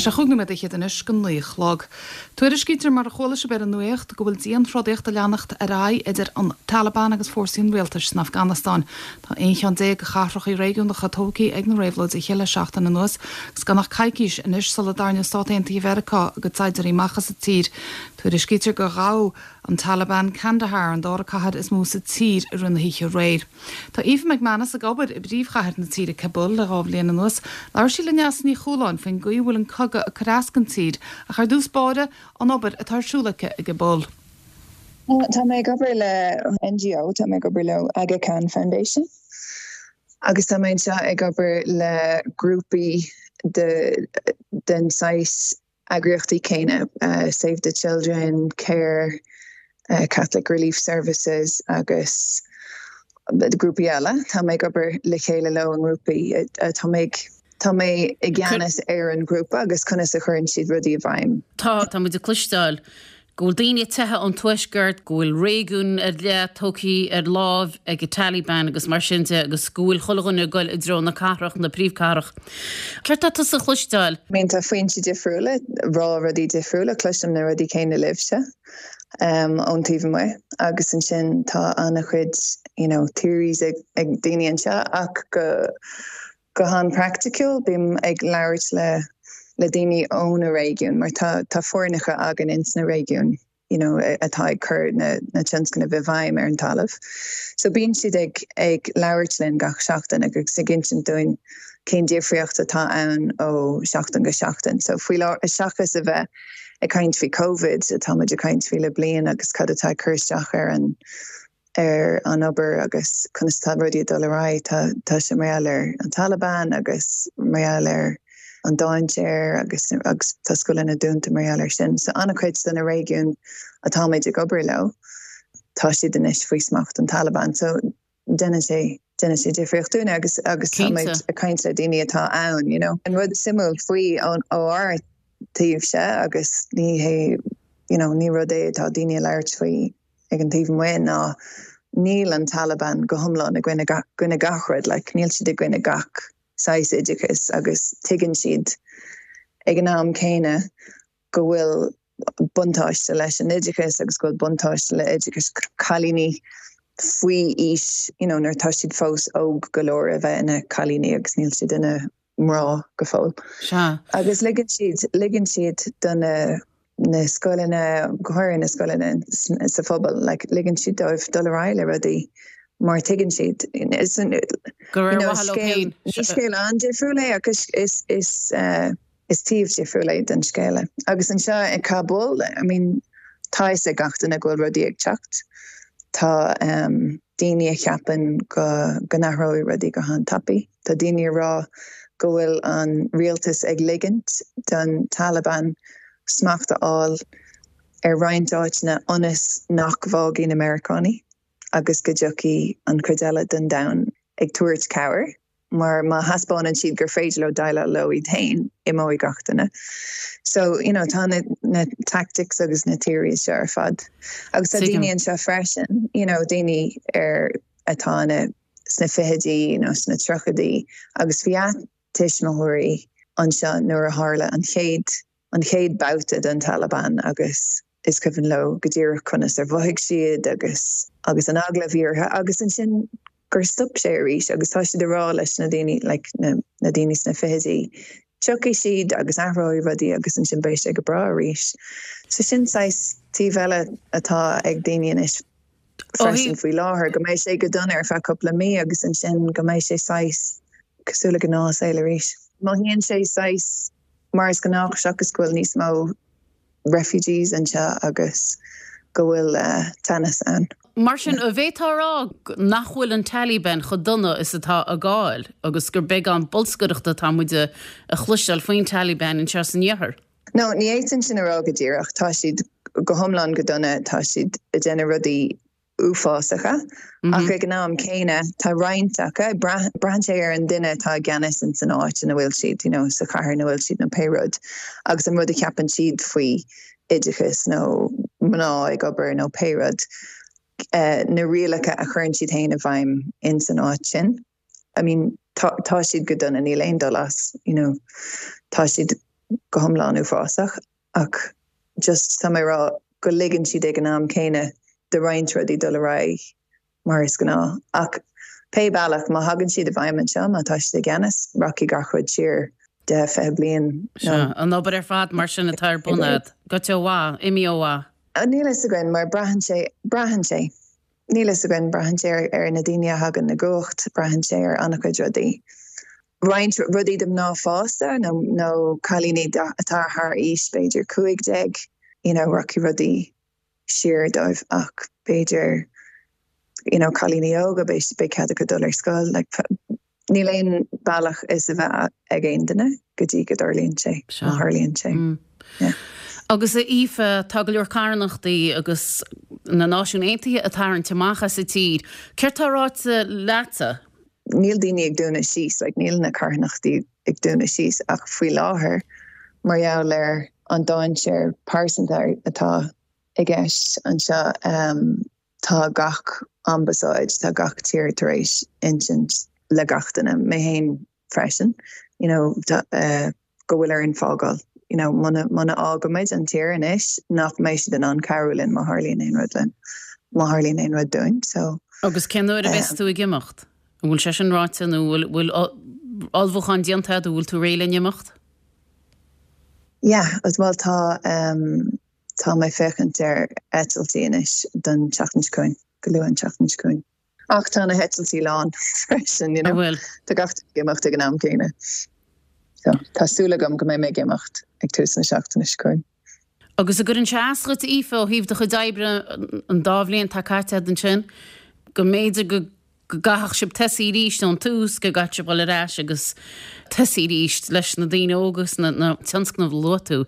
Tá sé chúig nóiméad fhichead anois go 9 a chlog. Tuairiscítear, mar a chuala sibh ar an nuacht, go bhfuil dianthrodaíocht ag leanacht ar aghaidh idir an Taliban agus fórsaí an rialtais san Afganastáin. Tá 11 cheann de chathracha réigiúnacha tógtha ag na réabhlóidithe le seachtain anuas agus gan ach coicís anois sula dtarraingeoidh Stát Aontaithe Mheiriceá a gcuid saighdiúirí amach as an tír. Tuairiscítear gur ghabh an Taliban Kandahar, an dara cathair is mó sa tír, i rith na hoíche aréir. Tá Aoife McManus ag obair i bpríomhchathair na tíre, Kabul, le 2 bhliain anuas. Labhair sí le Neasa Ní Chualáin faoin gcaoi a bhfuil an cogadh ag cur as don tír, ach ar dtús báire, an obair atá ar siúl aici i gCabul. Tá mé ag obair le NGO, tá mé ag obair le Aga Khan Foundation agus tá mé anseo ag obair le grúpaí de den saghas eagraíochtaí céanna, Save the Children, Care, Catholic Relief Services agus grúpaí eile. Tá mé ag obair le chéile leo i ngrúpaí. Tá mé ag tá mé i gceannas ar an ghrúpa agus conas a chuireann siad rudaí i bhfeidhm. Tá, tá muid ag cloisteáil go bhfuil daoine ag teitheadh ón tuaisceart, go bhfuil réigiún ar leith tógtha ar láimh ag an Taliban agus mar sin de agus go bhfuil chuile dhuine ag goil i dtreo na cathrach, na príomhcathrach. Céard tá tusa a chloisteáil? I mean tá foinsí difriúla ag rá rudaí difriúla, cloisim na rudaí céanna libhse ón taobh amuigh agus ansin tá an-chuid you know theories ag daoine anseo ach go Go han-praiticiúil, bím ag labhairt le le daoine ó na réigiúin mar tá tá foirneacha againn ins na réigiúin you know atá ag cur na na tionscnaimh i bhfeidhm ar an talamh. So bíonn siad ag ag labhairt linn gach seachtain agus ag insint dúinn cén difríocht atá ann ó sheachtain go seachtain. So faoi láthair seachas a bheith ag caint faoi Covid atá muid ag caint faoi le bliain agus cad atá ag cur isteach ar an ar an obair agus conas atá rudaí ag dul ar aghaidh. Tá tá sé mar gheall ar an Taliban agus mar gheall ar an dainséar agus agus tá scoileanna dúnta mar gheall ar sin. So an-chuid de na réigiúin atáimid ag obair leo, tá siad anois faoi smacht an Taliban. So déanann sé déanann sé difríocht dúinne agus agus táimid ag caint le daoine atá ann, you know. An rud suimiúil faoi ó ár dtaobhse agus ní hé you know ní rud é atá daoine ag labhairt faoi ag an taobh amuigh ná níl an Taliban go hiomlán i gcoinne gcoinne gach rud, like níl siad i gcoinne gach saghas oideachais agus tuigeann siad ag an am céanna go bhfuil buntáiste leis an oideachas agus go bhfuil buntáiste le oideachas cailíní faoi aois you know nuair atá siad fós óg go leor a bheith ina cailíní agus níl siad ina mná go fóill. Sea. Agus ligeann siad, ligeann siad do na, na scoileanna, go háirithe na scoileanna sa phobal, like, ligeann siad dóibh dul ar aghaidh le rudaí mar tuigeann siad, is, Gur ar mhaithe leo féin. Ní scéal an-difriúil é ach is, is, is, is taobh difriúil é den scéal é. Agus anseo i Kabul, I mean, tá fhios ag gach duine go bhfuil rudaí ag teacht. Tá daoine a cheapann go, go n-athróidh rudaí go han-tapaidh. Tá daoine ag rá go bhfuil an rialtas ag ligint don Taliban smacht a fháil ar roinnt áiteanna ionas nach bhfágfaidh na Meiriceánaigh agus go dtiocfaidh an chuid eile den domhan ag tabhairt cabhair mar má thaispeánann siad gur féidir leo déileáil leo iad féin, imeoidh gach duine. So, you know, tá na, na tactics agus na theories seo ar fad. Agus tá daoine anseo freisin, you know, daoine ar atá ina sna fichidí nó sna tríochaidí agus bhí a dtuismitheoirí anseo nuair a tharla an chéad an chéad babhta den Taliban agus is cuimhin leo go díreach conas ar mhothaigh siad agus agus an eagla a bhí orthu agus ansin gur stop sé arís agus tá siad ag rá leis na daoine like na na daoine sna fichidí tiocfaidh siad agus athróidh rudaí agus ansin beidh sé go breá arís. So sin saghas taobh eile atá ag daoine anois. freisin faoi láthair, go mbeidh sé go dona ar feadh cúpla mí agus ansin go mbeidh sé saghas cosúil le gnáthshaol arís. Mothaíonn sé saghas mar is gnách seachas go bhfuil níos mó refugees anseo agus go bhfuil teannas ann. Mar sin, an bhféadfá a rá nach bhfuil an Taliban chomh dona is atá a gcáil agus gur beagán bolscaireachta atá muid a chloisteáil faoin Taliban anseo san iarthar? No, ní fhéadfainn sin a rá go díreach. Tá siad go hiomlán go dona, tá siad ag déanamh rudaí uafásacha, ach ag an am céanna tá roinnt acu, braitheann sé ar an duine atá i gceannas ins an áit ina bhfuil siad, you know, sa chathair ina bhfuil siad nó pé rud, agus an rud a cheapann siad faoi oideachas nó mná ag obair nó pé rud, na rialacha a chuireann siad féin i bhfeidhm ins an áit sin. I mean, tá, tá siad go dona, níl aon dul as, you know, tá siad. go hiomlán uafásach ach just tá mé ag rá go ligeann siad ag an am céanna do roinnt rudaí dul ar aghaidh mar is gnáth. Ach pé bealach, má thagann siad i bhfeidhm anseo, má tá siad i gceannas, rachaidh gach rud siar 10, 20 bliain nó. Sea, an obair ar fad mar sin atá ar bun agat, goite ó mhaith, imithe ó mhaith. Níl a fhios againn mar braitheann sé, braitheann sé. Níl a fhios againn, braitheann sé ar na daoine a thagann i gcumhacht, braitheann sé ar an-chuid rudaí. Roinnt rudaí do mná fásta nó nó cailíní atá thar aois b'fhéidir 15, you know, rachaidh rudaí siar dóibh ach b'fhéidir you know cailíní óga beidh beidh cead acu dul ar scoil like níl aon bealach is a bheith ag aon duine go dtí go dtarlaíonn sé, má tharlaíonn sé. Yeah. Agus a Aoife, tá go leor carthanachtaí agus na Náisiúin Aontaithe ag tarraingt amach as an tír. Céard tá ráite leatsa? Níl daoine ag dúnadh síos, like níl na carthanachtaí ag dúnadh síos ach faoi láthair mar gheall ar an dainséar pearsanta atá i gceist anseo tá gach ambasáid, tá gach tír tar éis insint le gach duine, mé féin freisin, you know, go bhfuil orainn fágáil, you know, muna, muna fhágaimid an tír anois nach mbeidh siad in ann cabhrú linn má tharlaíonn aon rud linn, má tharlaíonn aon rud dúinn, so. Agus cén uair a bheas tú ag imeacht? An bhfuil sé sin ráite nó bhfuil, bhfuil ullmhúchán déanta agat, an bhfuil tú réidh le n-imeacht? Yeah, bhuel tá, tá mé ag féachaint ar eitiltí anois don tseachtain seo chugainn, go luath an tseachtain seo chugainn. Ach tá na heitiltí lán freisin, you know. An bhfuil? Tá gach duine ag imeacht ag an am céanna. So, tá súil agam go mbeidh mé ag imeacht ag tús na seachtaine seo chugainn. Agus an gcuireann sé as dhuit, Aoife, ó thaobh do chuid oibre an dá bhliain atá caite agat ansin, go mb'fhéidir go gcaithfeadh sibh tosaí arís ón tús, go gcaithfeadh sibh dul ar ais agus tosaí arís leis na daoine óga agus na tionscnaimh a luaigh tú,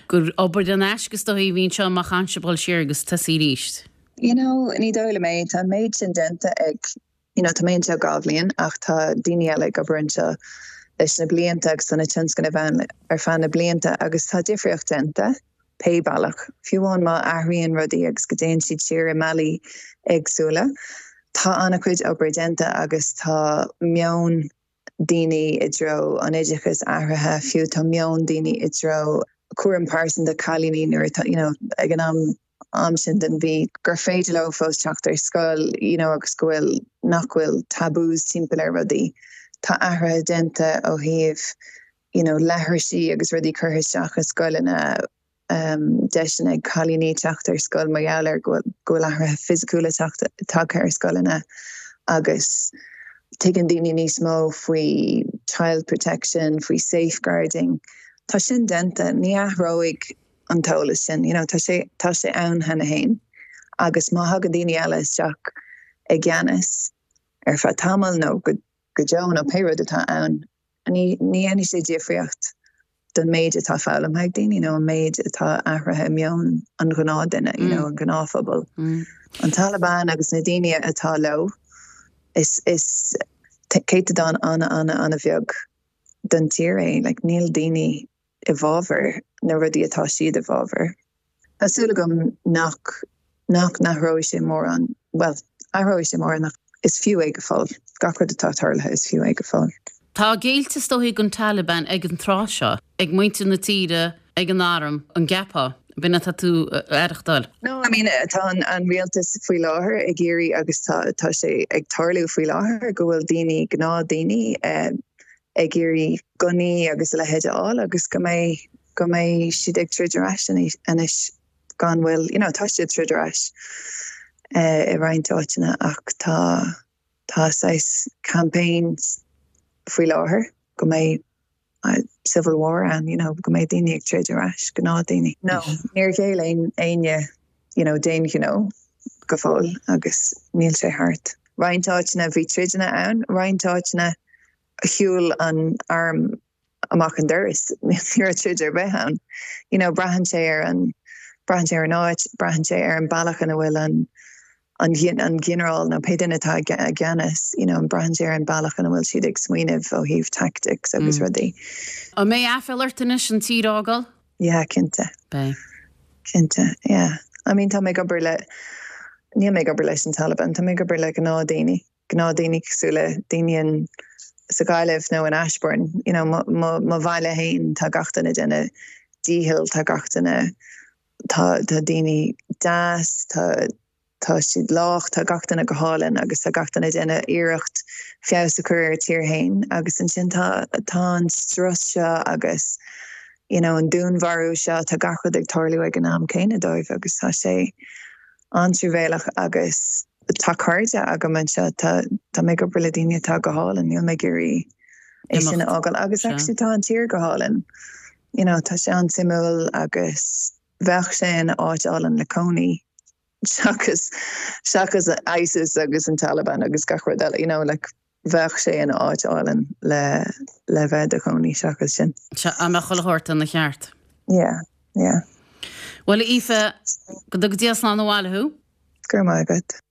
gur obair in aisce is dóichí a bhí anseo má chaitheann sibh dul siar agus tosaí arís? You know, ní dóigh liom é. Tá an méid sin déanta ag, you know, tá mé anseo 2 bhliain ach tá daoine eile ag obair anseo leis na blianta agus tá na tionscnaimh ann ar feadh na blianta agus tá difríocht déanta pé bealach. Fiú amháin má athraíonn rudaí agus go dtéann siad siar i mbealaí éagsúla, tá an-chuid obair déanta agus tá meon daoine i dtreo an oideachais athraithe, fiú tá meon daoine i dtreo cúram pearsanta cailíní nuair atá, you know, ag an am am sin den mhí, gur féidir leo fós teacht ar scoil, you know, agus go bhfuil, nach bhfuil taboos timpeall ar rudaí. Tá athruithe déanta ó thaobh, you know, leithrisí agus rudaí curtha isteach i scoileanna, deiseanna ag cailíní teacht ar scoil mar gheall ar go bhfuil athruithe fisiciúla tagtha ar scoileanna agus tuigeann daoine níos mó faoi child protection, faoi safeguarding. Tá sin déanta, ní athróidh an t-eolas sin, you know, tá sé, tá sé ann cheana féin agus má thagann daoine eile isteach i gceannas ar feadh tamaill nó go deo nó pé rud atá ann, Ní dhéanfaidh sé difríocht don méid atá foghlamtha ag daoine nó an méid atá athraithe i meon an ghnáthduine, you know, an gnáthphobal. An Taliban agus na daoine atá leo, is is céatadán an-an-an-bheag den tír é. Like, níl daoine i bhfabhar na rudaí atá siad i bhfabhar. Tá súil agam nach nach n-athróidh sé mórán, bhuel, athróidh sé mórán ach is fiú é go fóill. Gach rud atá tarlaithe, is fiú é go fóill. Tá géillte is dóichí don Taliban ag an tráth seo, ag muintir na tíre, ag an arm, an gceapfá? B'in atá tú a aireachtáil? No, I mean, tá an rialtas faoi láthair ag iarraidh agus tá tá sé ag tarlú faoi láthair go bhfuil daoine, gnáthdhaoine, ag iarraidh gunnaí agus a leithéid a fháil agus go mbeidh go mbeidh siad ag troid ar ais anois gan mhoill. You know, tá siad ag troid ar ais i roinnt áiteanna ach tá tá saghas campaigns faoi láthair go mbeidh civil war ann, you know, go mbeidh daoine ag troid ar ais, gnáthdhaoine. No, níor ghéill aon éinne, you know, d'aon ghnó go fóill agus níl sé thart. Roinnt áiteanna bhí troideanna ann, roinnt áiteanna shiúil an arm amach an doras, ní raibh troid ar bith ann. You know, braitheann sé ar an, braitheann sé ar an áit, braitheann sé ar an bealach ina bhfuil an, an, an ginearál nó pé duine atá i gceannas, you know, braitheann sé ar an bealach ina bhfuil siad ag smaoineamh ó thaobh tactics agus rudaí. An mbeidh aiféala ort anois an tír a fhágáil? Yeah, cinnte. Beidh. Cinnte, yeah. I mean, tá mé ag obair le, níl mé ag obair leis an Taliban, tá mé ag obair le gnáthdhaoine. Gnáthdhaoine cosúil le daoine in. sa Ghaillimh nó in Ashbourne, you know, mo, mo, mo bhaile féin, tá gach duine ag déanamh dícheall, tá gach duine, tá, tá daoine deas, tá, tá siad lách, tá gach duine go hálainn agus tá gach duine ag déanamh iarracht feabhas a chur ar a tír féin agus ansin tá, tá an strus seo agus, you know, an dúnmharú seo, tá gach rud ag tarlú ag an am céanna dóibh agus tá sé an-truamhéalach agus tá cairde agam anseo, tá, tá mé ag obair le daoine atá go hálainn, níl mé ag iarraidh é sin a fhágáil agus actually tá an tír go hálainn, you know, tá sé an-suimiúil agus bheadh sé ina áit álainn le cónaí seachas, seachas ISIS agus an Taliban agus gach rud eile, you know, like bheadh sé ina áit álainn le, le bheith i do chónaí seachas sin. Sea, dá mbeadh chuile shórt ina cheart. Yeah, yeah. Bhuel, a Aoife, go dtuga Dia slán abhaile thú. Go raibh maith agat.